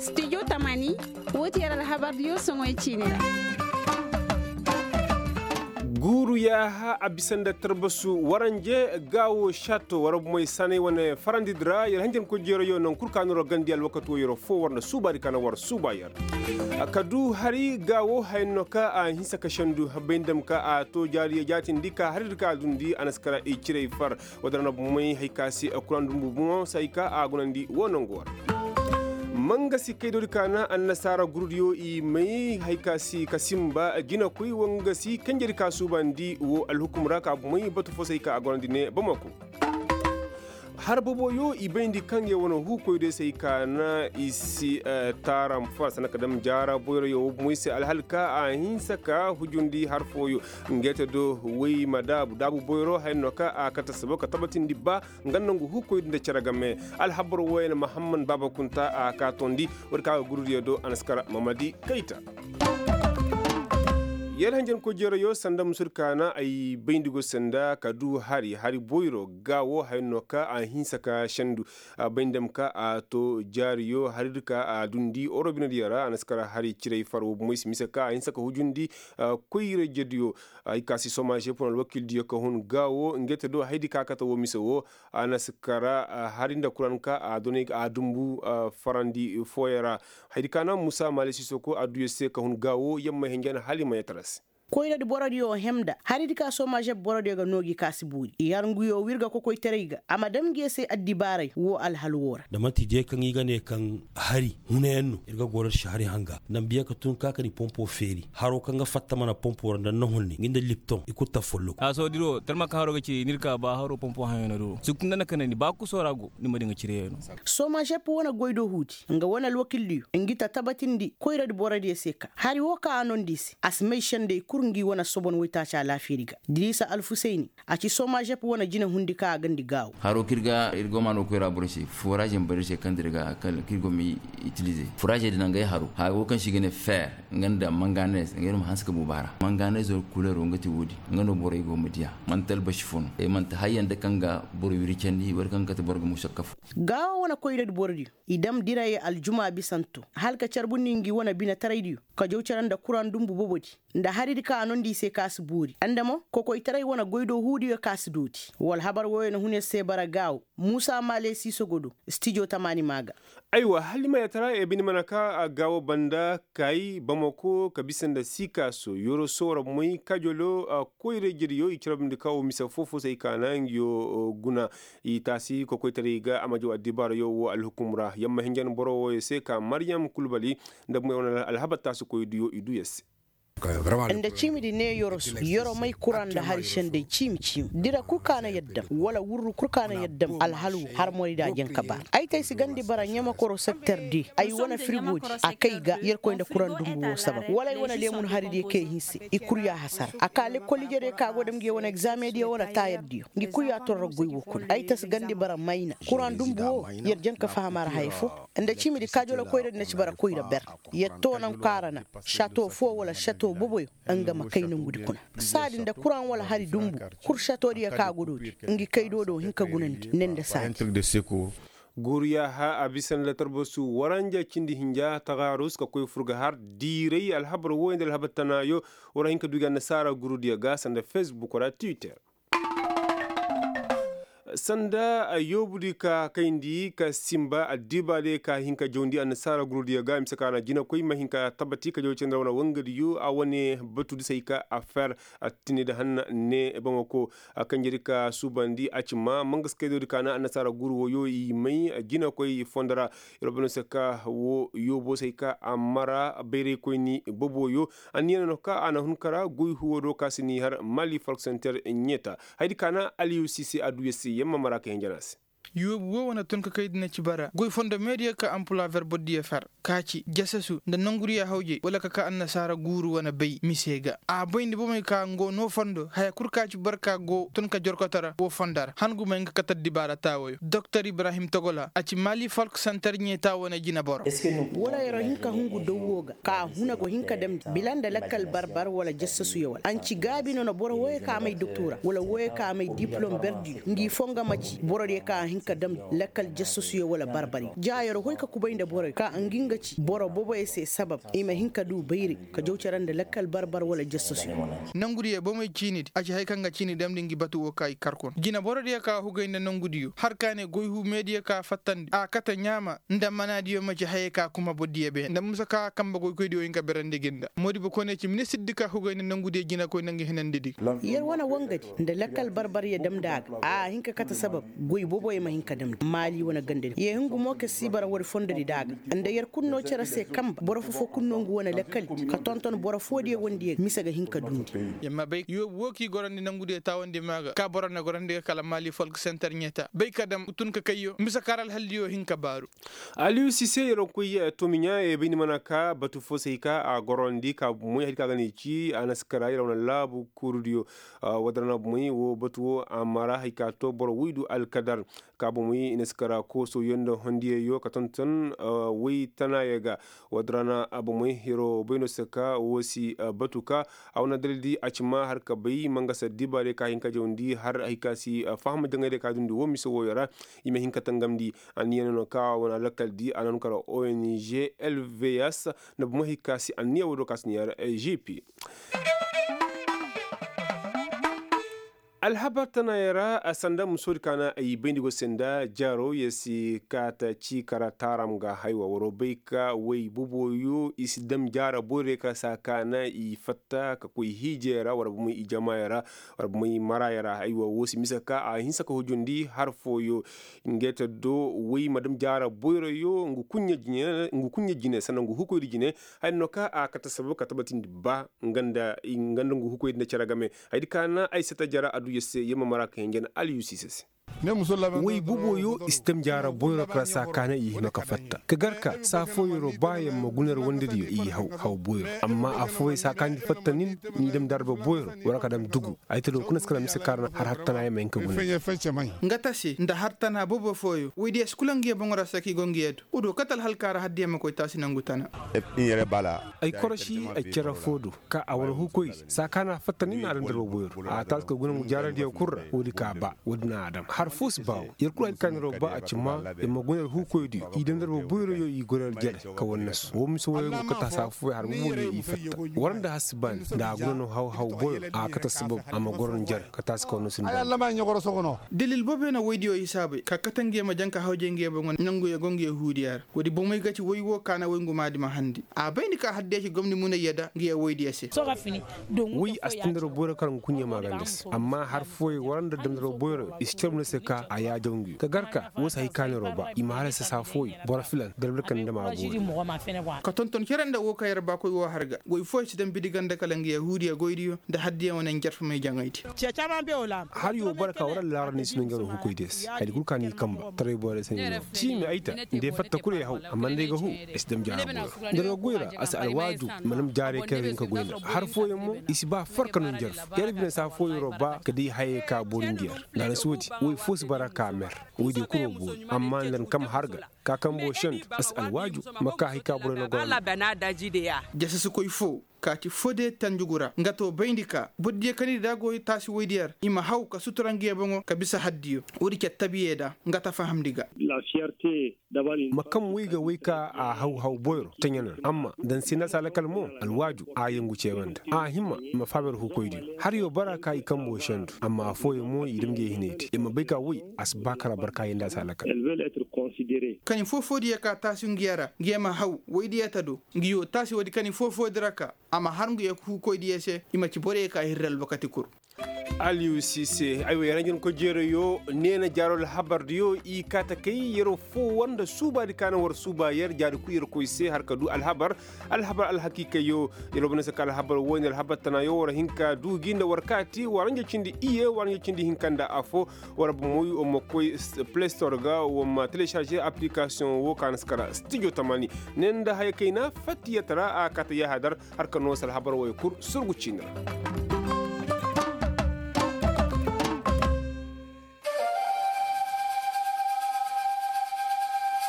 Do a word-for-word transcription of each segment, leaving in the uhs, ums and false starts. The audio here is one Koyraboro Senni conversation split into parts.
Studio tamaani. Woo ti yer alhabardiyo soŋoy ciini ra. Guuru yaaha a bisa nda tarbasu waranje gaawo šato war bomey sanay wane farandidi ra yer hanjankoy jeerayo naŋ kul ka no ra gandi alwakato yer foo war nda suubaadi ka na war suuba yer. Ka du hari gaawo haya no ka a hinsa ka sendu bay nda ma ka a to jaariyo jaatindi ka haridi ka a dundi a na si kara i ciray far. Woo din ra na bomey hay ka si kuraŋ dumbu bomo se hay ka a gunandi woo nangu war. Mangasi kaydoodi ka na annasaara gurudiyo i may hay ka si ka simba jinakoy woo nga si kanjedi ka suubandi woo alhukum ra ka bomey batu foo se hay ka a gunandi ne bamako. Har boboyo i bayndi kaŋ ye wane huukoy day se hay ka na i si taaram far sanda ka dam jaara boyroyo woo bomey se alhal ka a hinsa ka hujundi har fooyo. Ngey te do woy ma daabu daabu boyro haya no ka a kate sabo ka tabatindi ba nga nangu huukoy nda cere game. Alhabar wooyaŋ mahamman baaba kunta a ka tondi. Woodi ka ga gurudiyo do a na si kara mamadi kayta. Yer hanjankoy jeerayo sanda musudi ka na ay bayndi go sanda ka du hari hari boyro gaawo haya no ka a hinsa ka sendu. A bay nda ma ka a to jaariyo haridi ka a dundi orobinediyo ra a na si kara hari ciray far woo bomey si mise ka a hinsa ka hujundi. Koyra jediyo ay ka si somaze pon alwakildiyo ka hun gaawo ngey te do haydi ka kate woo mise woo. A na si kara hari nda kuraŋ ka a doney a dumbu farandi fooyaŋ ra. Haydi ka na muusa maale sisoko a du yer se ka hun gaawo yamma hinja na hala i ma yee tara se. Koyradi borodiyo hem nda haridi ka somažeb borodiyo ga noo gi ka si boori i har nguyo w'ir ga kokoytaray ga a ma dam ngi ye se addibaaray woo alhal woo ra. Da man'ti de kaŋ i ga ne kaŋ hari hunayaŋ no ir ga goro nda si hari hanga nda ma biya ka tun ka ka ni pompo feeri haro kaŋ ga fatta mana pompo ra nda ni na honne ngi nda lipton i kulu ta folloku. Haasoodiro talma kaŋ haro ga ci ni ir ka ba haro pompo haŋyaŋ no duro sukun nda na kanandi ba kuso ra go ni ma di nga cire yaŋ no. Somažeb wane goy do huudi nga wane alwakildiyo ngi ta tabatindi koyradi borodiyo se ka hari woo kaŋ a nondi i se a si may sendey kul ngi wane sobon waytaaci alaafiyadi ga diriisa alfusayni. A ci somažep wane jinahundi kaŋ a gandi gaawo. Haro kaŋ ir go maano koyra boro se furaže ma bara ir se kaŋ dir ga kala kaŋ ir go ma itilize furaže din a nga ay haro haro kaŋ se i ga ne fer nga nda manganes nga ir ma hanse ka buuba ra manganes wala kuleero nga ti woodi. Nga no borey go ma diya man'ti albasi fo no ay man'ti hayyaŋ da kaŋ ga boro wiri candi wala kaŋ ga kate boro ga musa kafu. Gaawo wane koyradi borodiyo i dam dirayey aljuma bisanto hala ka carbundi ngi wane binetaraydiyo ka jaw care nda kuraŋ dumbu bobodi nda haridi kaŋ a nondi i se ka si boori nda mo kokoytaray wane goy do huudiyo ka si dooti. Wala habar wooyo na hun ir se bara gaawo muusa maale siisogo do. Stijo tamaani maa ga. Aywa hala i ma yatara ye bine mana ka gaawo banda kay bamako ka bisa nda siikaaso yoroso war moy kajolo koyra-ijediyo i carabindi ka wo mise foo-foo se ay ka na ngiyo guna. I taasi kokoytaray ga a ma jaw addibaarayo wo alhukum ra yamma hinjan boro wooyo se ka maryam kulbali nda bumey wane alhabar taasikoydiyo i du yer se. Nda ciimidi ne yoroso yoro may kura nda hari sendey ciimi-ciimi dira kul ka na yaddam wala wurru kul ka na yaddam alhal wo har morayda janka baara ay te ay si gandi bara ɲamakoro sekter de ay wane firigodi a kay ga yerkoy nda kuraŋ dumbu wo sabab wala ay wane leemun haridiyo kaŋ ay hinse i kul ya hasara a ka lekkol ijediyo kaŋ a go dam ngi ye wane egzaamediyo wala taayardiyo ngi kul ya torro goy wo kuna ay te ay si gandi bara mayna kuraŋ dumbu wo yer janka faham a ra haya fo. Nda ciimidi kaajolo koyradi na ci bara koyra ber yer toonaŋ kaara na sato fo wala sato boboyo nga ma kay nongudi kuna. Saadi nda kuraŋ wala hari dumbu kul satoodiyo kaŋ a go dooti ngi kay do do hin ka gunandi ne nda saadi. Guuru yaaha a bisa nda tarbasu waranja cindi hinja tagarus ka koy fur ga har diiray alhabar wooyo nda alhabar tanaayo. War a hin ka du gi annasaara gurudiyo ga sanda fesbuk ra twitter. Sanda yoobudi ka kayndi ka simba addibaadiyo ka hin ka jawndi annasaara gurudiyo ga mise ka na jinakoy ma hin ka tabati ka jaw cindi ra wane wangadiyo a wane batu di se ay ka afeer attinedi hanna ne bamako. Kanjedi ka suubandi a ci ma mangaskaydoodi ka na annasaara guru wooyo i may jinakoy fondo ra. Yer bano se ka wo yoobo se ay ka a mara bayraykoyni boboyo. Anniya no ka a na hun kara goy huwo do ka si n'i har mali falk senter ɲeeta. Hayadi ka na aliyusi se a du yer se yamma mara ka hinja no a se. Yoobu woo wane tun ka kay di na ci bara goy fondo meediya ka ampula verbo diya fer ka ci jasasu nda nongudiya hawjey wala ka ka annasaara guuru wane bay mise ga a bay nda bomey ka ngo no fondo haya kul ka ci barka go tun ka jorkoto ra wo fondo ra han gumey nga kate addibaara taawayo doktor ibrahim togola a ci mali folk center ɲeeta wane jineboro. Wala yer'o hin ka hungu daw woo ga ka huna go hin ka damndi bila nda lakkal barbar wala jassasuyo wala a na ci gaabi no na boro wooyo ka may doktora wala wooyo ka may diplom berdiyo ngi foo nga ma ci borodiyo ka hin. ka dam lakkal jasasuyo wala barbari ja yer hoy ka kubay nda borey ka ngi nga ci boro boboyey se sabab i ma hin ka du bayray ka jaw care nda lakkal barbar wala jasasuyo. Nongudiyo bomey ciinidi a ci haya kaŋ ga ciini damndi ngi batu wo ka i kar kuna jina borodiyo ka hugay nda nongudiyo har ka ne goy humeediyo ka fattandi a kate ɲaama nda manaadiyo ma ci hayey ka kuma bordiyo beene nda musa ka kambe goykoydiyo hin ka berandi gi nda moodibo koyne ci ministirdi ka hugay nda nongudiyo jinakoy nda nga hinandidi. Yer wane wangadi nda lakkal barbaryo damndi a ga a hin ka kate sabab goy boboyo ma hin ka damndi maali wane gandadi yee hungu mo ka si bara woodi fondodi nda a ga nda yer kul no cere se kambe boro foo-foo kul no ngu wane lakkaldi ka tonton boro foodiyo wandiyo mise ga hin ka dundi. Yer ma bay yoobu woo k'i gorandi nongudiyo taawandi maa ga ka boro na gorandi ga kala maali folk center ɲeeta bay ka dam tun ka kayyo mise kaara alhaldiyo hin ka baaru. Aliyu sise yer wo koy tomiɲa bayndi mana ka batu foo se hay ka a gorandi ka bomoy hay ka ga ne ci a na si kara yer wane laabu kuurudiyo. Woodin ra na bomoy woo batu woo a mara hay ka to boro woy du alkadar ka bomoy i na si kara koosoyo nda hondiyeyo ka tonton woy tanaayo ga. Woodin ra na bomoy yer wo bay no se ka woo si batu ka a wane dalildi a ci ma har ka bay mangasa dibaadiyo ka hin ka jawndi har hay ka si faham jaŋay diyo ka dundi woo mise wooyo ra. I ma hin ka tangamndi anniya no no ka wane alakal di a na no kara ong lvs nda bomo hay ka si anniya woo do ka si niya ra gp. Alhabar tanaayey ra sanda musoodi ka na ay bayndi go se nda jaaro yer si kaata ci kara taaram ga haywa war wo bay ka way boboyo i si dam jaara boyroyo kara saa ka na i fatta ka koy hiijey ra war bomo i jamaayey ra war bomo i maraayey ra haywa woo si mise ka a hinsa ka hujundi har fooyo. Ngey ta do way ma dam jaara boyroyo ngu kuɲɲa jine sanda ngu hukoydi jine. Haya no ka a kate sababu ka tabatindi ba nga nda ngu hukoydi nda cere game. Hayadi ka na ay sata jara adduya se yer ma mara ka hinja na aliyusi se se. Way boboyo i si dam jaara boyro kara saa ka na i hima ka fatta ka gar ka saa fooyero ba yer ma guna yer wandediyo i haw haw boyro. Amma affooyey saa ka ni fatta nin ni dam darba boyro war ka dam dugu. Ay ta do kuna si kara mise kaara na har har tana yer ma hin ka guna. Nga ta se nda har tana bobo fooyo woydiyo si kula ngiyo boŋo ra se ka i go ngiyo du. Woodiyo kate alhalka ra haddiyo ma koy taasi nangu tana. Ay korosi ay cere foo do ka a wane hukoy saa ka na fatta nin a dam darba boyro a taasi ka guna ngu jaaradiyo kul ra woodi ka ba woodi na a dam har foo si ba woo yer kul hay ka ni ro ba a ci ma yer ma guna yer hukoydiyo i dam darba boyroyo i guna yer jere ka wannasu woo mise wooyo ngu kate saa fooyo har boboyo i fatta war nda har si baani nda a guna no haw haw boyro a kate sababu a ma goro ni jere ka taasi ka wannasu ni baani. Dalil booboyo na woydiyo i saabay ka kate ngiyo ma jaŋ ka hawjay ngiyo boŋo nanguyo go ngiyo huudiya ra. Woodi bomey ga ci woy woo ka na woy ngu maadi ma handi a bayndi ka haddiya ci gomni munayya da ngiyo woydiyo se. Woy a si tandaro boyro kar ngu kuɲɲe maaganda se amma har fooyey war nda damdaro boyro i si carbu ne se ka a yaajaw ngiyo ka gar ka woo si hay ka neero ba i ma har se saa fooyey boro filan darbar kande ma a boori. Ka tonton cere nda woo ka yer baakoy woo har ga woy fooyey si dam bidi ganda kala ngiyo huudiya goydiyo nda haddiya wane njarfamey jaŋaydi. Har yoo bara ka war allaara ni si no njaroo hukoydiyo se hayadi kul ka ni kamba taray boyro se ni no. Ciimi ay ta nda ay fatta kul ay haw amma nda ay ga huu ay si dam jaara boyro. Nda no goy ra a si alwaaju ma dam jaaray kaŋ yer hin ka goy nda har fooyaŋ mo i si ba farka no njarfu yer bine saa fooyaroo ba ka day hayey ka boori nda yer. Nda a na si woodi woy foo si bara ka mer. Woydiyo kul wo boori amma nda ni kam har ga ka kambo sendu a si alwaaju ma ka hay ka borey na goro. Jasasikoy foo kaati fode tanjugu ra nga to bayndi ka bordiyo kaŋ ir da go taasi woydiyo ra i ma haw ka sutura ngiyo boŋo ka bisa haddiyo. Woodi ce tabiyey da nga ta fahamndi ga. Ma kaŋ way ga way ka a haw haw boyro taɲanan amma daŋ se nda a si a lakal mo alwaaju a yangu ceebaŋ nda a hima i ma faaba ir hukoydiyo har yo bara ka i kambo sendu amma affooyaŋ mo i dam ngiyo hinay te i ma bay ka way a si ba kara barka yaŋ nda a si a lakal. Kani foo-foodiyo ka taasi ngiyo ra ngiyo ma haw woydiyo ta do. Ngiyo taasi woodi kani foo-foodi ra ka a ma har ngu ye huukoydiyo se i ma ci borey ka hirri alwakati kul. Aliyu siise aywa yaranjin koy jeerayo neena jaaro alhabardiyo i kaa ta kay yeroo foo war nda suubaadi ka na war suuba yer jaadi kul yer koy se har ka du alhabar. Alhabar alhakiikayyo yer wo bana se ka alhabar woy nda alhabar tanaayo war hin ka duu gi nda war kaati waranja cindi iyye waranja cindi hinka nda afoo. War bomoy war ma koy play store ga war ma télécharger application woo ka na si kara studio tamaani. Ne nda haya kayna fattiyatara a kaata yahadar har ka noo si alhabar woy kul surgu ciini ra.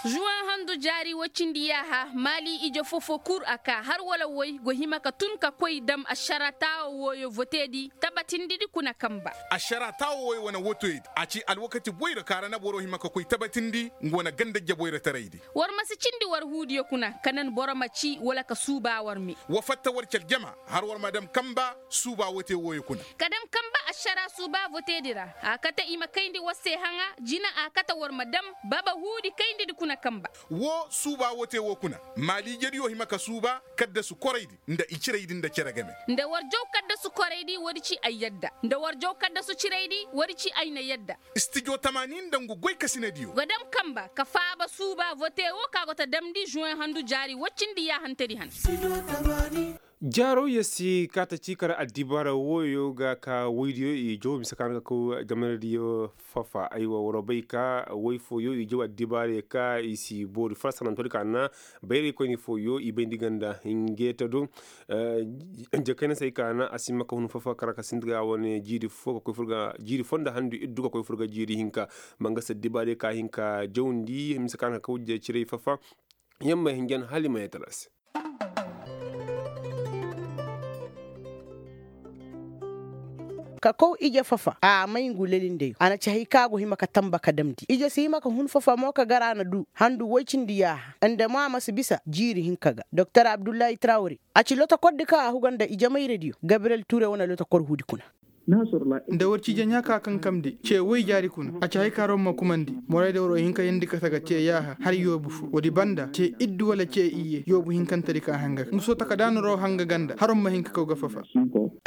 Juwan handu Jaari woy cindi yaaha maali ije fofo kul a kaa har wala woy go hima ka tun ka koy dam ašara taawo wooyo voteedi tabatindidi kuna kanba. Ašara taawo wooyo wane wotoydi a ci alwakati boyra ka ra na boro hima ka koy tabatindi nga wane ganda jaboyra taraydi. War ma si cindi war huudiyo kuna ka nan boro ma ci wala ka suuba war me. Wa fatta war ci aljama har war ma dam kanba suuba wote wooyo kuna. Ka dam kanba ašara suuba voteedi ra a kate i ma kayndi war se haŋa jina a kate war ma dam baba huudi kayndidi kuna kanba. Woo suuba wote woo kuna maaliijediyo hima ka suuba kaddasu koraydi nda i ciraydi nda cere game. Nda war jaw kaddasu koraydi woodi ci ay yadda nda war jaw kaddasu ciraydi woodi ci ay na yadda. Stijo tamaani nda ngu goykasinediyo ga dam kanba ka faaba suuba vote woo ka go ta damndi žuwen handu jaari woy cindi yaahantedi han. Jaaro yer si kaata ciikar addibaara wooyo ga ka woydiyo i jaw mise ka na ka kaw jamanadiyo fafa aywa waroo bay ka woy fooyo i jaw addibaara ka i si boori farsanantoodi ka na bayraykoyni fooyo i bayndi ganda hingeeta do. Jakayna se ay ka na a si hima ka hun fafa kara ka sinti ga wane jiiri fo ka koy fur ga jiiri fo nda handu iddu ka koy fur ga jiiri hinka. Ma nga se addibaara ka hin ka jawndi mise ka na ka kaw ciray fafa. Yamma hinjan hala i ma yee tala se. Ka kaw ije fafa a may ngu lelindeyo a na ci hay ka go hima ka tamba ka damndi ije si hima ka hun fafa mo ka gar a na du handu woy cindi yaaha nda mo a ma si bisa jiiri hinka ga doktor abdullahi trawre. A ci lotokordi ka a huga nda ijemayradiyo gabriyel ture wane lotokor huudi kuna. Nda war ci ije ɲaa ka kankamndi ce woy jaari kuna a ci hay ka roŋ ma kumandi. Moraydi waroo hin ka yeendi kate ga ce yaaha har yoobu fo woodi banda ce iddu wala ce iyye yoobu hinkantedi ka hanga ka nga soo taka daanaroo hanga ganda har ma hin ka kaw ga fafa.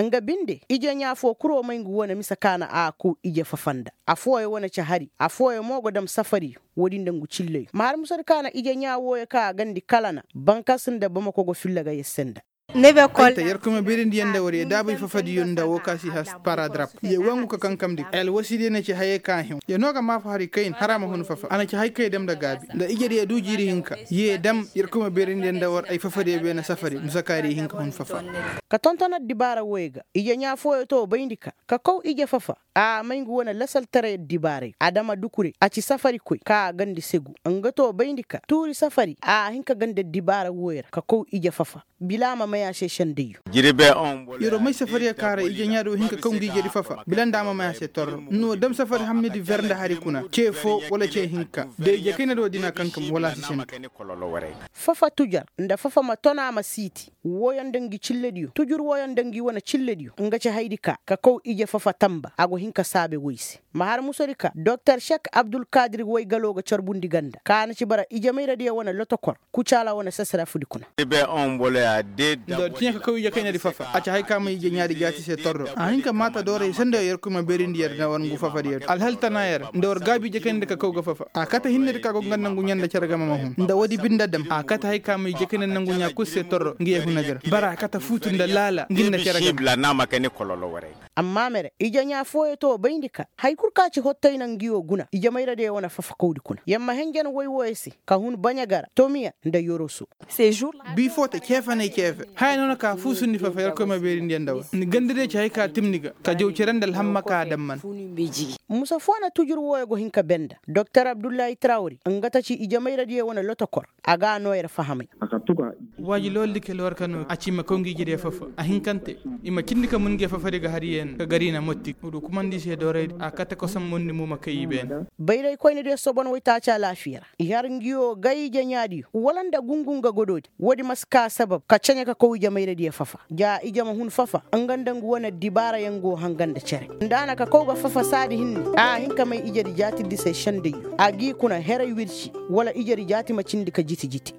Nga binde ije ɲaa foo kuroo may ngu wane mise ka na a kaw ije fafa nda. Affooyaŋ wane ci hari affooyaŋ mo go dam safari. Woodi nda ngu cilleyo ma har musadi ka na ije ɲaa wooyo ka a gandi kalana bankas nda bamako go filla ga yer se nda. Ay ta yerkoy ma beerindiyaŋ nda war yee daabay fafadiyo nda woo ka si has paradrap yee wangu ka kankamndi alwasidiyo na ci hayey ka a hẽew yee no ga maafa hari kayna har a ma hun fafa a na ci hay kay dam nda gaabi nda ijediyo du jiiri hinka. Yee dam yerkoy ma beerindiyaŋ nda war ay fafadiyo beene safari musakaari hin ka hun fafa. Ka tonton addibaara wooyo ga ije ɲaa fooyo too bayndi ka ka kaw ije fafa. A may ngu wane lasaltaray addibaarayo adama dukure a ci safarikoy ka a gandi segu nga too bayndi ka tuuri safari a hin ka gandi addibaara wooyo ra ka kaw ije fafa. Bila a ma may a se sendayyo. Yeroo may safariyo ka ra ije ɲaadi woo hin ka kaw ngi ijedi fafa bila nda a ma may a se torro n'o dam safari hammidi ver nda hari kuna ce foo wala ce hinka da ije kaynadi woo dina kankam wala a si sendu. Fafa tujar nda fafa ma ton a ma siiti. Wooyo nda ngi cillediyo tujur wooyo nda ngi wane cillediyo nga ci haydi ka ka kaw ije fafa tamba a go hin ka saabe woy se. Ma har musodi ka doktor sek abdulkadir woy galoo ga carbundi ganda ka na ci bara ijemayradiyo wane lotokor kucaala wane sasarafudi kuna. Nda war ciɲe ka kaw ije kaynadi fafa a ci hay ka ma ije ɲaadi jaati se torro a hin ka maata dooray sendayoo yerkoy ma beerindi yer nda war ngu fafadiyo alhal tana yer nda war gaabi ije kaynadi ka kaw ga fafa a kate hinnedi ka go nga nangu ɲaa nda cere game ma hun nda woodi binde dam a kate hay ka ma ije kaynadi nangu ɲaa kul se torro ngi yee hunadi ra bara a kate fuutu nda laala ngi nda cere game. Amma mere ije ɲaa fooyo too bayndi ka hay kul ka ci hottay na ngi woo guna ijemayradiyo wane fafakawdi kuna yer ma henjen woy wooyo se ka hun baɲa ga ra tomiya nda yoroso. Bii foo te ceefanay ceefe haya no na ka fuusundi fafa yerkoy ma beerindiyaŋ nda war ni gandadiyo ci hay ka timni ga ka jaw cere nda alhamma ka a damman. Musa foo na tujur wooyo go hin ka benda doktor abdullahi trawri nga ta ci ijemayradiyo wane lotokor. A ga a noo yer fahamay. Waaji looli di kele war ka noo a ci ma kaw ngi ijediyo fafa a hinkante. I ma cindi ka mun ngi fafadi ga har yee na ka gar i na motti woodi kumandi i se dooraydi a kate kosomondi mo ma kay i beene. Bayraykoynadiyo sobon woytaaci alaafiya ra i har ngi woo gay ije ɲaadiyo wala nda gungu nga godoodi woodi ma si ka sabab ka ceɲe ka kaw ijemayradiyo fafa ja ije ma hun fafa. Nga nda ngu wane dibaarayaŋ go hanga nda cere nda a na ka kaw ga fafa saadi hinne a hin ka may ijedi jaatidi se sendayyo a g'i kuna heray wirci wala ijedi jaati ma cindi ka jiti jiti.